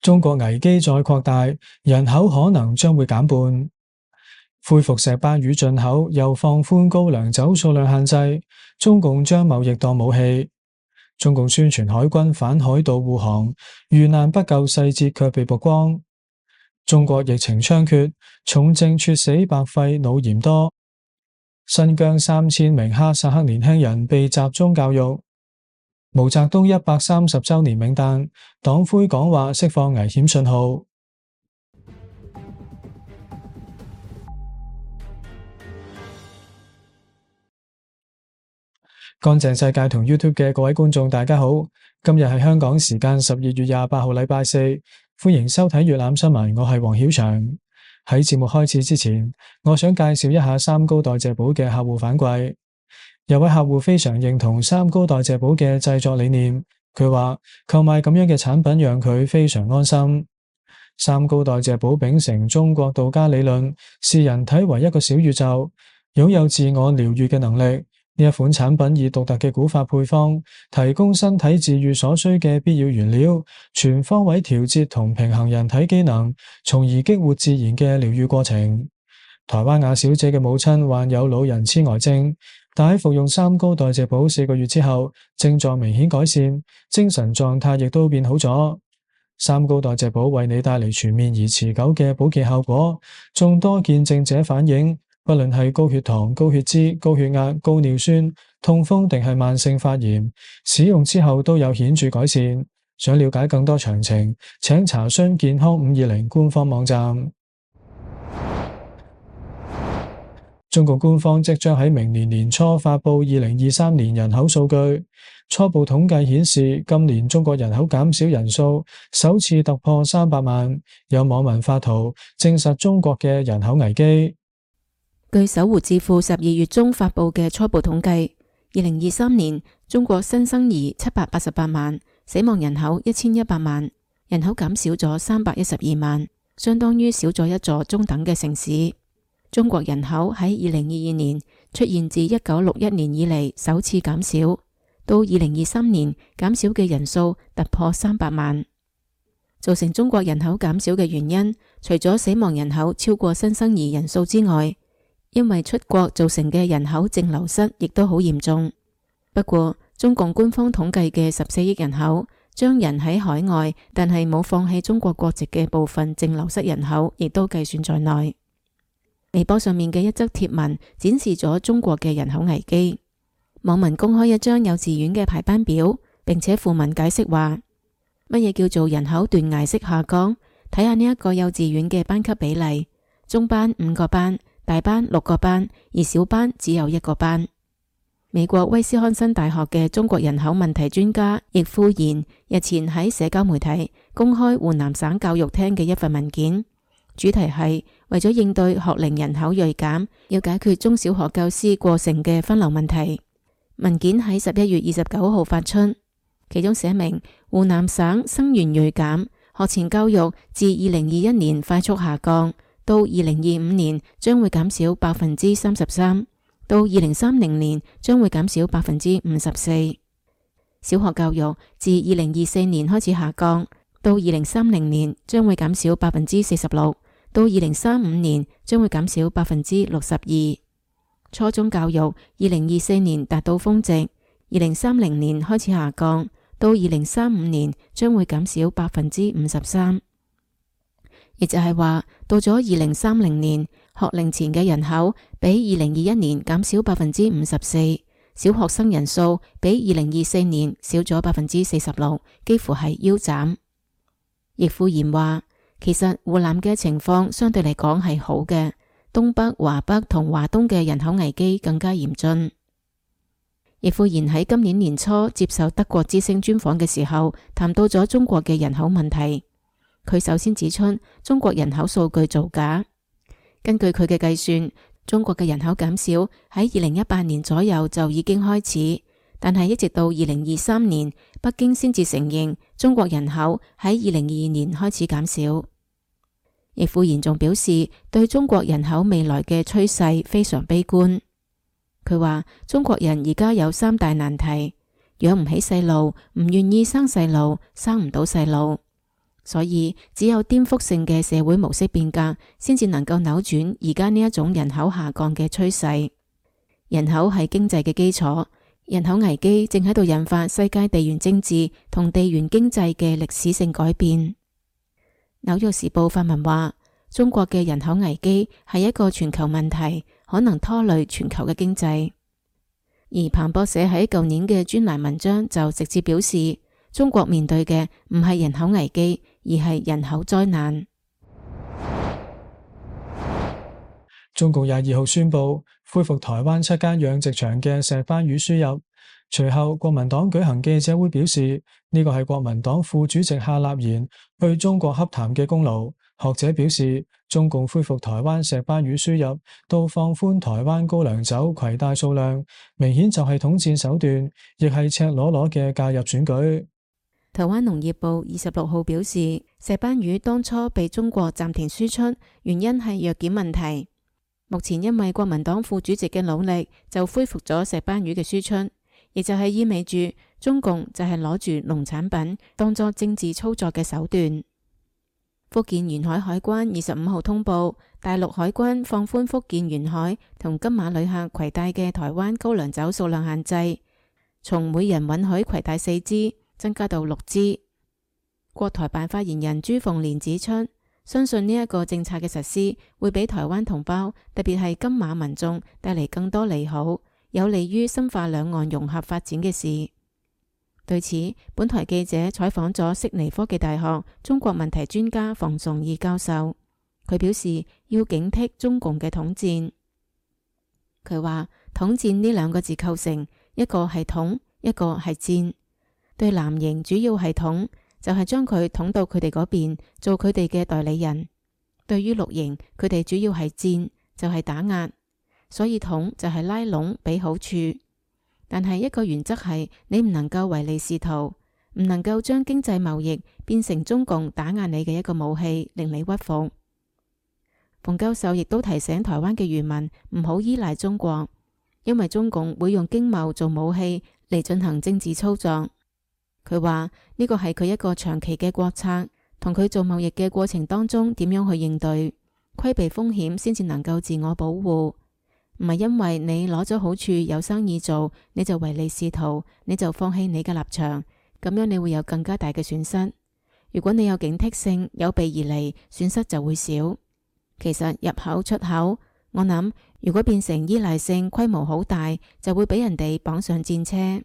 中國危機再擴大，人口可能將會減半。恢復石斑魚進口，又放寬高粱酒數量限制，中共將貿易當武器。中共宣傳海軍反海盜護航，遇難不救細節卻被曝光。中國疫情猖獗，重症猝死白肺腦炎多。新疆3000名哈薩克年輕人被集中教育。毛澤東130週年冥誕，黨魁講話釋放危險信號。乾淨世界同 YouTube 嘅各位觀眾大家好，今日係香港時間12月28號禮拜四，歡迎收睇粵覽新聞，我係黃曉翔。喺節目開始之前，我想介紹一下三高代謝寶嘅客戶反饋。有位客戶非常認同三高代謝寶嘅製作理念，佢話購買咁樣嘅產品讓佢非常安心。三高代謝寶秉承中國道家理論，視人體為一個小宇宙，擁有自我療癒嘅能力。呢一款產品以獨特嘅古法配方，提供身體自癒所需嘅必要原料，全方位調節同平衡人體機能，從而激活自然嘅療癒過程。台灣亞小姐嘅母親患有老人痴呆症，但喺服用三高代謝寶4個月之後，症狀明顯改善，精神狀態亦都變好咗。三高代謝寶為你帶嚟全面而持久嘅保健效果，眾多見證者反映，不論係高血糖、高血脂、高血壓、高尿酸、痛風定係慢性發炎，使用之後都有顯著改善。想了解更多詳情，請查詢健康520官方網站。中國官方即將喺明年年初發佈2023年人口數據，初步統計顯示，今年中國人口減少人數首次突破300萬。有網民發圖證實中國嘅人口危機。據搜狐智庫12月中發佈嘅初步統計，2023年中國新生兒788萬，死亡人口1100萬，人口減少咗312萬，相當於少咗一座中等嘅城市。中國人口喺2022年出現自1961年以嚟首次減少，到2023年減少嘅人數突破300萬。造成中國人口減少嘅原因，除咗死亡人口超過新生兒人數之外，因為出國造成嘅人口淨流失亦都好嚴重。不過，中共官方統計嘅14億人口，將人喺海外但係冇放棄中國國籍嘅部分淨流失人口，亦都計算在內。微博上面嘅一則貼文展示咗中國嘅人口危機。網民公開一張幼稚園嘅排班表，並且附文解釋話，乜嘢叫做人口斷崖式下降？睇下呢一個幼稚園嘅班級比例，中班5個班，大班6個班，而小班只有1個班。美國威斯康辛大學嘅中國人口問題專家易富賢日前喺社交媒體公開湖南省教育廳嘅一份文件，主題係為咗應對學齡人口銳減，要解決中小學教師過剩嘅分流問題。文件喺11月29號發出，其中寫明湖南省生源銳減，學前教育自2021年快速下降，到2025年將會減少33%，到2030年將會減少54%。小學教育自2024年開始下降，到2030年將會減少46%，到2035年將會減少62%。初中教育2024年達到峰值，2030年開始下降，到2035年將會減少53%。亦就係話，到咗2030年，學齡前嘅人口比2021年減少54%，小學生人數比2024年少咗46%，幾乎係腰斬。易富賢話，其實湖南嘅情況相對嚟講係好嘅，東北、華北同華東嘅人口危機更加嚴峻。易富賢喺今年年初接受德國之聲專訪嘅時候，談到咗中國嘅人口問題。佢首先指出中國人口數據造假。根據佢嘅計算，中國嘅人口減少喺2018年左右就已經開始，但係一直到2023年，北京先至承認中國人口喺2022年開始減少。易富賢仲表示對中國人口未來嘅趨勢非常悲觀。佢話中國人而家有3大難題：養唔起細路，唔願意生細路，生唔到細路。所以只有顛覆性嘅社會模式變革，先至能夠扭轉而家呢一種人口下降嘅趨勢。人口係經濟嘅基礎，人口危機正喺度引發世界地緣政治同地緣經濟嘅歷史性改變。紐約時報發文話，中國嘅人口危機係一個全球問題，可能拖累全球嘅經濟。而彭博社喺舊年嘅專欄文章就直接表示，中國面對嘅唔係人口危機，而係人口災難。中共22號宣布恢復台灣7間養殖場嘅石斑魚輸入，隨後國民黨舉行記者會表示，呢個係國民黨副主席夏立言去中國洽談嘅功勞。學者表示，中共恢復台灣石斑魚輸入到放寬台灣高粱酒攜帶數量，明顯就係統戰手段，亦係赤裸裸嘅介入選舉。台灣農業部26號表示，石斑魚當初被中國暫停輸出，原因係藥檢問題。目前因為國民黨副主席嘅努力，就恢復咗石斑魚嘅輸出，亦就係意味住中共就係攞住農產品當作政治操作嘅手段。福建沿海海關25號通報，大陸海關放寬福建沿海同金馬旅客攜帶嘅台灣高粱酒數量限制，從每人允許攜帶4支增加到6支。國台辦發言人朱鳳蓮指出，相信呢一個政策嘅實施會俾台灣同胞，特別係金馬民眾帶嚟更多利好，有利於深化兩岸融合發展嘅事。對此，本台記者採訪咗悉尼科技大學中國問題專家房崇義教授，佢表示要警惕中共嘅統戰。佢話統戰呢2個字構成，一個係統，一個係戰。對藍營主要係統，就係將佢統到佢哋嗰邊，做佢哋嘅代理人。對於綠營，佢哋主要係戰，就係打壓。所以統就係拉攏俾好處。但係一個原則係，你唔能夠唯利是圖，唔能夠將經濟貿易變成中共打壓你嘅一個武器，令你屈服。馮教授亦都提醒台灣嘅漁民唔好依賴中國，因為中共會用經貿做武器嚟進行政治操作。佢話呢個係佢一個長期嘅國策，同佢做貿易嘅過程當中點樣去應對，規避風險先至能夠自我保護。唔係因為你攞咗好處有生意做，你就唯利是圖，你就放棄你嘅立場，咁樣你會有更加大嘅損失。如果你有警惕性，有備而嚟，損失就會少。其實入口出口，我諗如果變成依賴性，規模好大，就會俾人哋綁上戰車。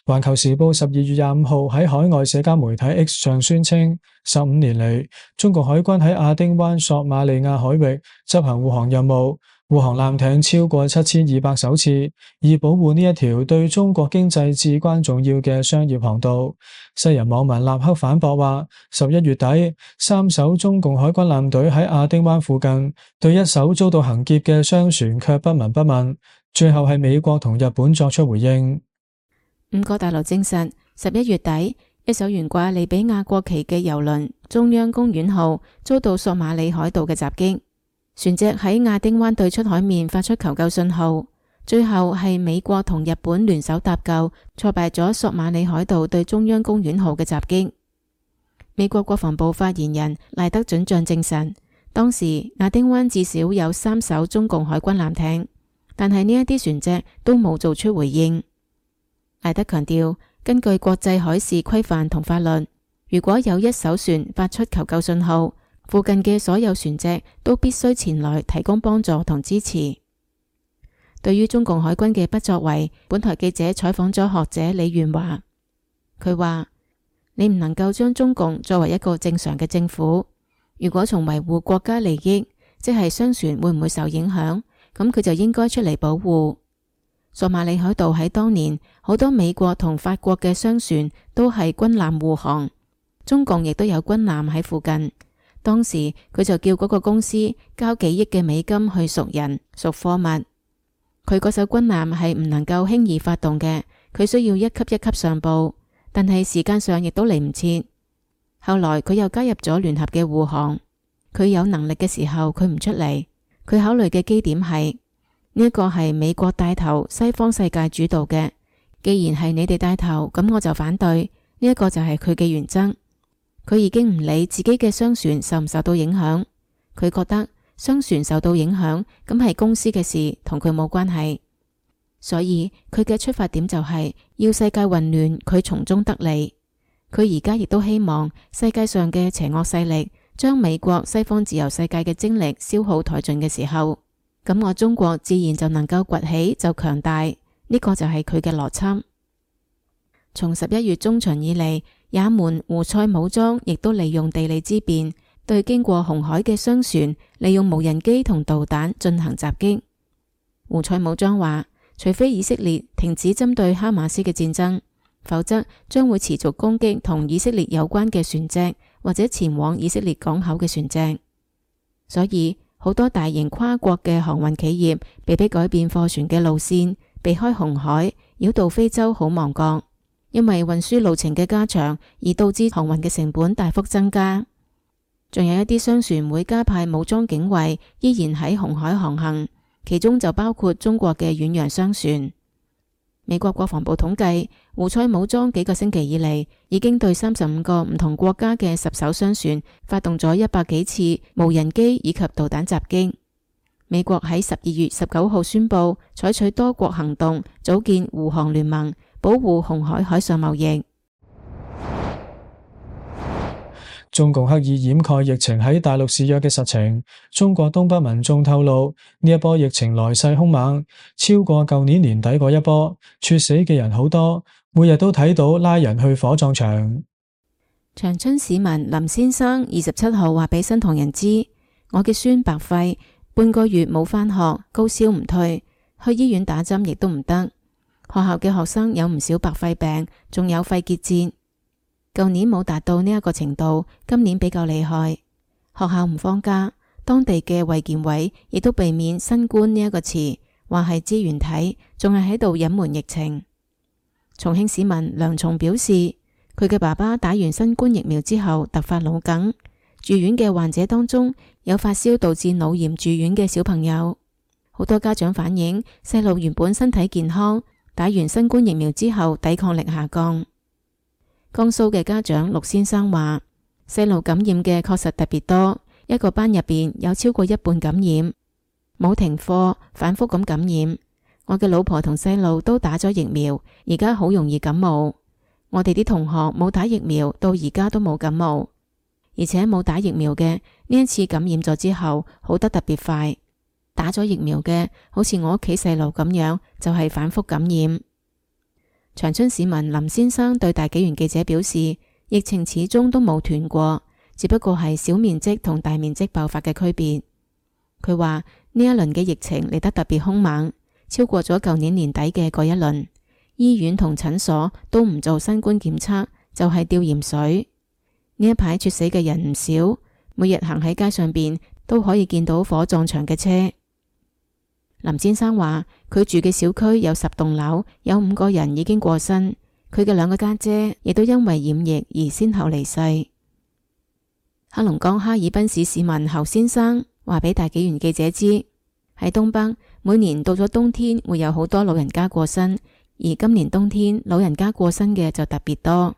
環球時報12月25號喺海外社交媒體 X 上宣稱，15年嚟，中國海軍喺亞丁灣索馬利亞海域執行護航任務，護航艦艇超過7200艘次，以保護呢一條對中國經濟至關重要嘅商業航道。西人網民立刻反駁話，11月底，3艘中共海軍艦隊喺亞丁灣附近對1艘遭到行劫嘅商船卻不聞不問，最後係美國同日本作出回應。5個大陸證實，11月底，一艘懸掛利比亞國旗嘅郵輪中央公園號遭到索馬里海盜嘅襲擊，船隻喺亞丁灣對出海面發出求救信號，最後係美國同日本聯手搭救，挫敗咗索馬里海盜對中央公園號嘅襲擊。美國國防部發言人賴德准將證實，當時亞丁灣至少有3艘中共海軍艦艇，但係呢一啲船隻都冇做出回應。賴德強調，根據國際海事規範同法律，如果有1艘船發出求救信號，附近嘅所有船隻都必須前來提供幫助同支持。對於中共海軍嘅不作為，本台記者採訪咗學者李元華，佢話：你唔能夠將中共作為一個正常嘅政府，如果從維護國家利益，即係商船會唔會受影響，咁佢就應該出嚟保護。索馬里海盜喺當年，好多美國同法國嘅商船都係軍艦護航，中共亦都有軍艦喺附近。當時佢就叫嗰個公司交幾億嘅美金去贖人贖貨物。佢嗰艘軍艦係唔能夠輕易發動嘅，佢需要一級一級上報，但係時間上亦都嚟唔切。後來佢又加入咗聯合嘅護航，佢有能力嘅時候佢唔出嚟，佢考慮嘅基點係。呢一個係美國帶頭，西方世界主導嘅。既然係你哋帶頭，咁我就反對。呢一個就係佢嘅原則。佢已經唔理自己嘅商船受唔受到影響，佢覺得商船受到影響咁係公司嘅事，同佢冇關係。所以佢嘅出發點就係要世界混亂，佢從中得利。佢而家亦都希望世界上嘅邪惡勢力將美國西方自由世界嘅精力消耗殆盡嘅時候，咁我中國自然就能夠崛起，就強大。呢個就係佢嘅邏輯。從11月中旬以嚟，也門胡塞武裝亦都利用地利之便，對經過紅海嘅商船利用無人機同導彈進行襲擊。胡塞武裝話，除非以色列停止針對哈馬斯嘅戰爭，否則將會持續攻擊同以色列有關嘅船隻或者前往以色列港口嘅船隻。所以好多大型跨國嘅航運企業被迫改變貨船嘅路線，避開紅海，繞道非洲好望角。因為運輸路程嘅加長而導致航運嘅成本大幅增加。仲有一啲商船會加派武裝警衛，依然喺紅海航行，其中就包括中國嘅遠洋商船。美國國防部統計，胡塞武裝幾個星期以嚟，已經對35個唔同國家嘅10艘商船發動咗100幾次無人機以及導彈襲擊。美國喺12月19號宣布採取多國行動，組建護航聯盟，保護紅海海上貿易。中共刻意掩蓋疫情喺大陸肆虐嘅實情。中國東北民眾透露，呢一波疫情來勢兇猛，超過舊年年底嗰一波，猝死嘅人好多，每日都睇到拉人去火葬場。長春市民林先生27號話俾新唐人知，我嘅孫白肺，半個月冇返學，高燒唔退，去醫院打針亦都唔得。學校嘅學生有唔少白肺病，仲有肺結節。舊年冇達到呢一個程度，今年比較厲害。學校唔放假，當地嘅衛健委亦都避免新冠呢一個詞，話係支原體，仲係喺度隱瞞疫情。重慶市民梁松表示，佢嘅爸爸打完新冠疫苗之後突發腦梗，住院嘅患者當中有發燒導致腦炎住院嘅小朋友。好多家長反映，細路原本身體健康，打完新冠疫苗之後抵抗力下降。江蘇嘅家長陸先生話，細路感染嘅確實特別多，一個班入邊有超過一半感染，冇停課，反覆咁感染。我嘅老婆同細路都打咗疫苗，而家好容易感冒。我哋啲同學冇打疫苗，到而家都冇感冒，而且冇打疫苗嘅呢一次感染咗之後好得特別快，打咗疫苗嘅好似我屋企細路咁樣，就係反覆感染。長春市民林先生對大紀元記者表示，疫情始終都冇斷過，只不過係小面積同大面積爆發嘅區別。佢話呢一輪嘅疫情嚟得特別兇猛，超過咗舊年年底嘅嗰一輪。醫院同診所都唔做新冠檢測，就係吊鹽水。呢一排猝死嘅人唔少，每日行喺街上邊都可以見到火葬場嘅車。林先生話，佢住嘅小區有10棟樓，有5個人已經過身，佢嘅2個家姐亦都因為染疫而先後離世。黑龍江哈爾濱市市民侯先生話俾大紀元記者知，喺東北每年到咗冬天會有好多老人家過身，而今年冬天老人家過身嘅就特別多。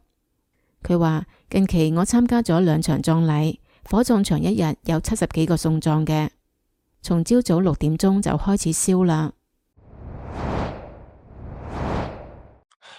佢話近期我參加咗2場葬禮，火葬場一日有70幾個送葬嘅。從朝早6點鐘就開始燒啦。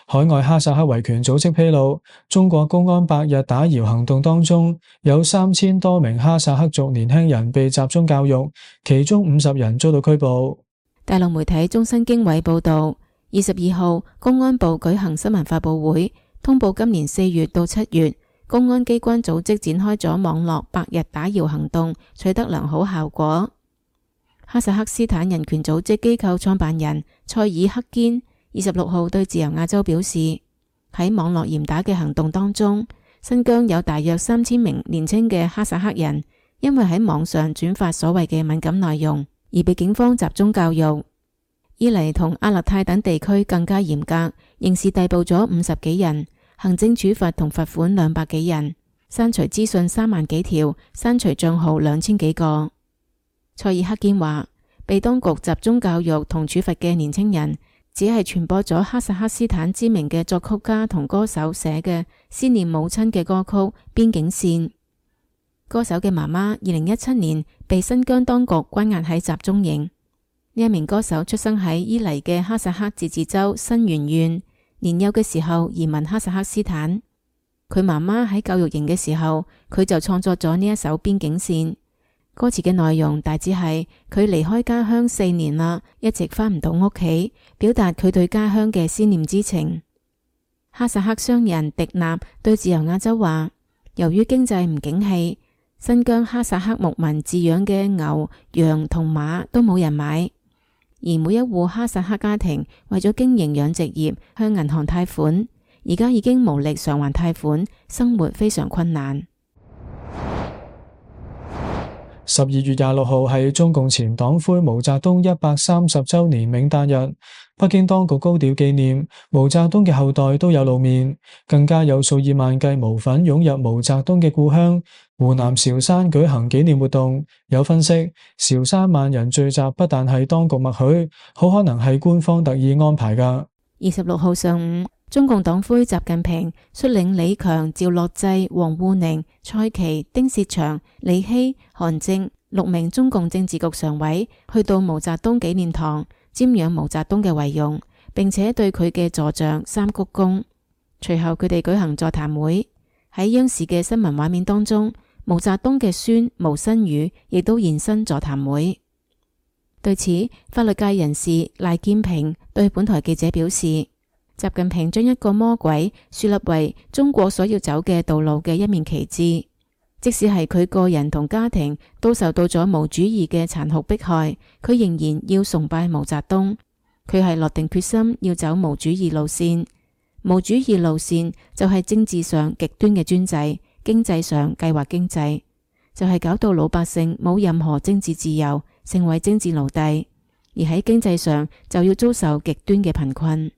海外哈薩克維權組織披露，中國公安百日打搖行動當中，有3000多名哈薩克族年輕人被集中教育，其中50人遭到拘捕。大陸媒體中新經緯報道，22號公安部舉行新聞發佈會，通報今年4月到7月，公安機關組織展開咗網絡百日打搖行動，取得良好效果。哈薩克斯坦人權組織機構創辦人塞爾克堅26號對自由亞洲表示，喺網絡嚴打嘅行動當中，新疆有大約3000名年輕嘅哈薩克人，因為喺網上轉發所謂嘅敏感內容，而被警方集中教育。伊犁同阿勒泰等地區更加嚴格，刑事逮捕咗50幾人，行政處罰同罰款200幾人，刪除資訊3萬幾條，刪除賬號2000幾個。塞爾克堅話，被當局集中教育同處罰嘅年輕人，只係傳播咗哈薩克斯坦知名嘅作曲家同歌手寫嘅思念母親嘅歌曲《邊境線》。歌手嘅媽媽2017年被新疆當局關押喺集中營。呢一名歌手出生喺伊犁嘅哈薩克自治州新源縣，年幼嘅時候移民哈薩克斯坦。佢媽媽喺教育營嘅時候，佢就創作咗呢一首《邊境線》。歌詞嘅內容大致係佢離開家鄉4年啦，一直返唔到屋企，表達佢對家鄉嘅思念之情。哈薩克商人迪納對自由亞洲話，由於經濟唔景氣，新疆哈薩克牧民飼養嘅牛、羊同馬都冇人買，而每一戶哈薩克家庭為咗經營養殖業向銀行貸款，而家已經無力償還貸款，生活非常困難。12月26號係中共前黨魁毛澤東130周年冥誕日，北京當局高調紀念，毛澤東嘅後代都有露面，更加有數以萬計毛粉湧入毛澤東嘅故鄉湖南韶山舉行紀念活動。有分析，韶山萬人聚集不但係當局默許，好可能係官方特意安排㗎。26號上午，中共黨魁習近平率領李強、趙樂際、王滬寧、蔡奇、丁薛祥、李希、韓正6名中共政治局常委去到毛澤東紀念堂瞻仰毛澤東嘅遺容，並且對佢嘅座像3鞠躬。隨後佢哋舉行座談會。喺央視嘅新聞畫面當中，毛澤東嘅孫毛新宇亦都現身座談會。對此，法律界人士賴建平對本台記者表示，習近平將一個魔鬼樹立為中國所要走嘅道路嘅一面旗幟，即使係佢個人同家庭都受到咗毛主義嘅殘酷迫害，佢仍然要崇拜毛澤東。佢係落定決心要走毛主義路線。毛主義路線就係政治上極端嘅專制，經濟上計劃經濟，就係搞到老百姓冇任何政治自由，成為政治奴隸，而喺經濟上就要遭受極端嘅貧困。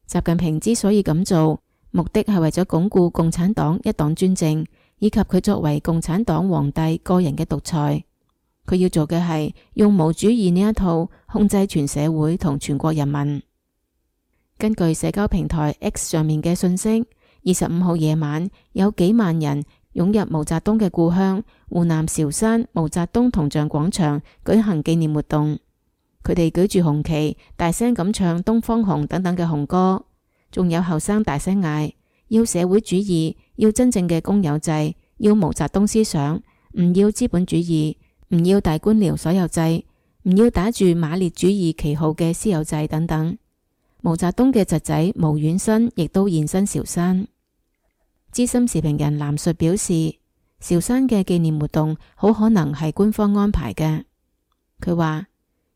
習近平之所以咁做，目的係為咗鞏固共產黨一黨專政，以及佢作為共產黨皇帝個人嘅獨裁。佢要做嘅係用毛主義呢一套控制全社會同全國人民。根據社交平台 X 上面嘅信息，25號夜晚有幾萬人湧入毛澤東嘅故鄉湖南韶山毛澤東銅像廣場舉行紀念活動。佢哋舉住紅旗，大聲咁唱《東方紅》等等嘅紅歌，仲有後生大聲嗌要社會主義，要真正嘅公有制，要毛澤東思想，唔要資本主義，唔要大官僚所有制，唔要打住馬列主義旗號嘅私有制等等。毛澤東嘅侄仔毛遠新亦都現身韶山。資深時評人藍述表示，韶山嘅紀念活動好可能係官方安排嘅。佢話，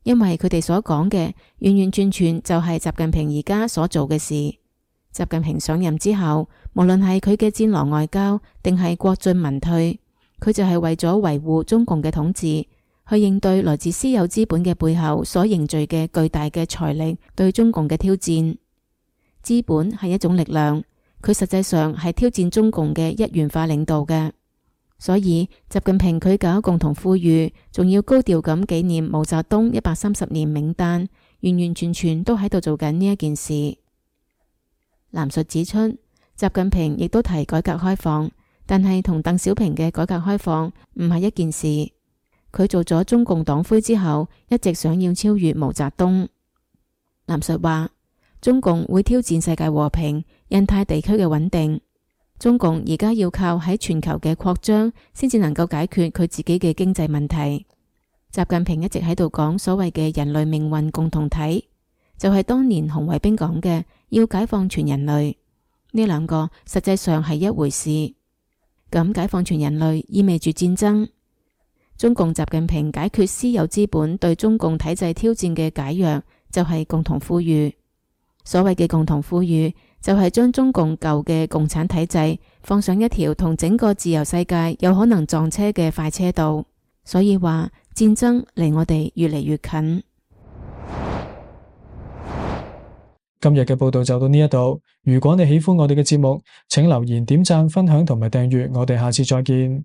因為佢哋所講嘅完完全全就係習近平而家所做嘅事。習近平上任之後，無論係佢嘅戰狼外交定係國進民退，佢就係為咗維護中共嘅統治，去應對來自私有資本嘅背後所凝聚嘅巨大嘅財力對中共嘅挑戰。資本係一種力量，佢實際上係挑戰中共嘅一元化領導嘅。所以習近平佢搞共同富裕，仲要高調咁紀念毛澤東130年冥誕，完完全全都喺度做緊呢一件事。藍述指出，習近平亦都提改革開放，但係同鄧小平嘅改革開放唔係一件事。佢做咗中共黨魁之後，一直想要超越毛澤東。藍述話，中共會挑戰世界和平、印太地區嘅穩定。中共而家要靠喺全球嘅擴張，先至能夠解決佢自己嘅經濟問題。習近平一直喺度講所謂嘅人類命運共同體，就係當年紅衛兵講嘅要解放全人類。呢兩個實際上係一回事。咁解放全人類意味住戰爭。中共習近平解決私有資本對中共體制挑戰嘅解藥，就係共同富裕。所謂嘅共同富裕，就係將中共舊嘅共產體制放上一條同整個自由世界有可能撞車嘅快車道。所以話戰爭離我哋越嚟越近。今日嘅報道就到呢一度。如果你喜歡我哋嘅節目，請留言、點讚、分享同埋訂閱。我哋下次再見。